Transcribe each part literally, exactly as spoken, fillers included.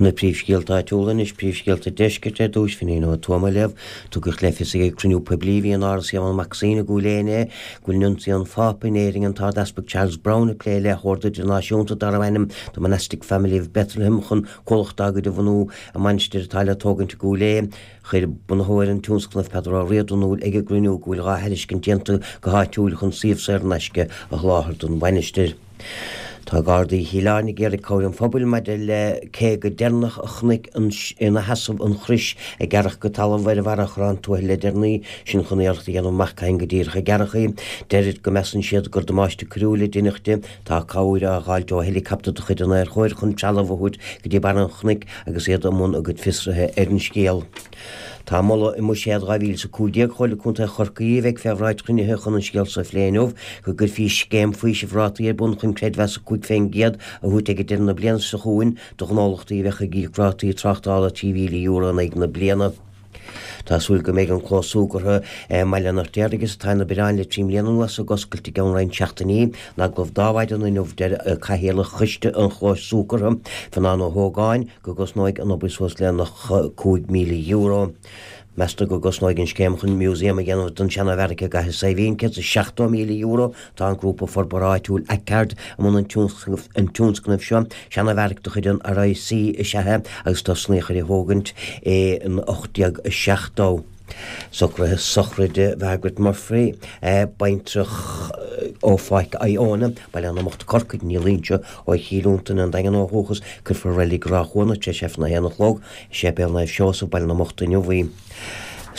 Na príomhscéalta áitiúla anois, príomhscéalta deiscirt ar dtús, Finín Ó Tuama libh. Tugadh le fios ag cruinniú poiblí a bhí in Áras Éamonn Mac Suibhne i gCúil Aodha inné go bhfuil Nuncio an Phápa in Éirinn, an tArd-Easpag Charles Browne, ag plé le hord idirnáisiúnta darbh ainm The Monastic Family of Bethlehem chun comhlacht dá gcuid a bhunú i mainistir atá le tógaint i gCúil Aodha. Chuir bunaitheoir an tionscnaimh, Peadar Ó Riada, in iúl ag an gcruinniú go bhfuil dhá thairiscint déanta go háitiúil chun suíomh saor in aisce a sholáthar don mhainistir. Tá Gardaí Chill Airne ag iarraidh cabhair an phobail maidir le cé go deireanach a chonaic ina sheasamh an chrois a gearradh go talamh ar bharra Chorrán Tuathail le deireanaí, sin chun iarracht a dhéanamh amach cathain go díreach a gearradh í. Deirid go measann siad gur damáiste coiriúil a deineadh di. Tá cabhair á dh'fháilt ó heileacaptar de chuid an Aerchóir chun trealamh a thabhairt go dtí barra an chnoic agus iad i mbun a gcuid fiosraithe ar an scéal. Tá moladh i mBuiséad dhá mhíle is a cúig déag Chomhairle Contae Chorcaí a bheidh fé bhráid chruinnithe chun an scéal so a phlé inniu, go gcuirfí scéim faoisimh rátaí ar bun chun creidmheas a cúig fén gcéad a thabhairt ag deireadh na bliana seo chugainn do ghnólachtaí a bheadh ag íoc rátaí tráchtála trí mhíle euro in aghaidh na bliana. Tá súil go mbeidh an clós súgartha i mBaile an Fheirtéaraigh is atá ina bhiorán le trí mbliana anuas ag oscailt i gceann roinnt seachtainí. In agallamh do Adhmhaidin inniu deir Cathaoirleach Choiste an Chlóis Súgartha, Fionán Ó hÓgáin, go gcosnóidh an obair suas le nócha cúig míle euro. Meastar go gcosnóidh an scéim chun museum a dhéanamh den seana-bheairic i gCathair Saidhbhín céad is seachtó míle euro. Tá an grúpa forbartha áitiúil Acard i mbun an tionscnaimh seo. Seana-bheairic de chuid an R I C is ea é agus tosnaíodh ar a thógaint in ocht déag seachtó. Socruithe sochraide Mhargaret Murphy, baintreach ó Pháirc Iona, Baile na mBocht, Corcaigh, ní Loingsigh ó Chill Fhionntain, an Daingean ó dhúchas, cuirfear i Reilig Ráth Chuana tar éis Aifreann a haon a chlog i Séipéal Naomh Seosamh, Baile na mBocht inniu í.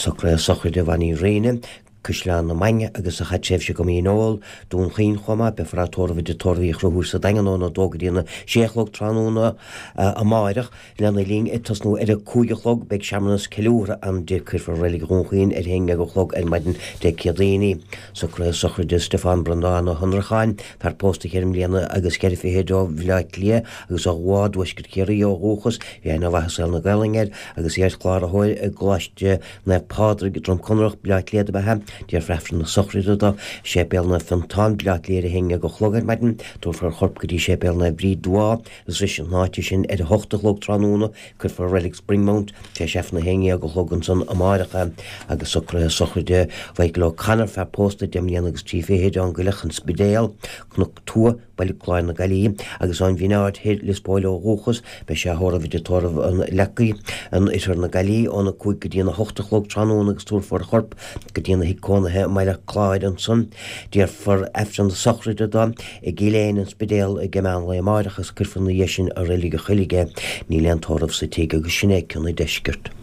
Socruithe sochraide Mhonnie Rinne, Caisleán na Mainge agus a chaith tréimhse go Mín Óil, Dún Chaoin chomh maith, beifear á tórramh i dTigh Tórraimh Uí Chonchúir sa Daingean óna dó go dtí a sé a chlog tráthnóna amáireach. Lena linn, ag tosnú ar a cúig a chlog, beidh searmanas ceiliúrtha ann di. Cuirfear i Reilig Dhún Chaoin ar a haon déag a chlog ar maidin Dé Céadaoin í. Socruithe sochraide Stiofán Breandán Ó hAnnracháin, fear pósta cheithre mbliana agus ceithre fichid ó Bhaile Átha Cliath agus ó Mhá dTuaisceart Chiarraí ó dhúchas, bhí aithne mhaith i saol na Gaelainne air agus iar-chláraitheoir i gColáiste Naomh Pádraig, Droim Conrach, Baile Átha Cliath ab ea é. Déarfar Aifreann na sochraide dó i Séipéal Naomh Fiontán, Baile Átha Cliath ar a haon déag a chlog ar maidin. Tabharfar a chorp go dtí Séipéal Naomh Bríd Dubhá i srois na háite sin ar a hocht a chlog tráthnóna. Cuirfear i Reilig Springmount tar éis Aifreann a haon déag a chlog ansan amáireach é. Agus socruithe sochraide Mhichael O'Connor, fear pósta deich mbliana agus trí fichid ón gCoileach, An Spidéal, Cnoc Tua, Baile Chláir na Gaillimhe, agus ón Bhinn Aird Thoir, Lios Póil ó dhúchas, beidh sé á thórramh i dtigh tórraimh an Leacaigh in oirthear na Gaillimhe óna cúig go dtí a hocht a chlog tráthnóna agus tabharfar a chorp go dtína thigh cónaithe i mBaile Chláir ansan. Déarfar Aifreann na sochraide dó i gCill Éin, An Spidéal, ag meán lae amáireach agus cuirfear ina dhiaidh sin i Reilig an Choilligh é. Níl aon tórramh sa tigh agus sin é cionn an deiscirt.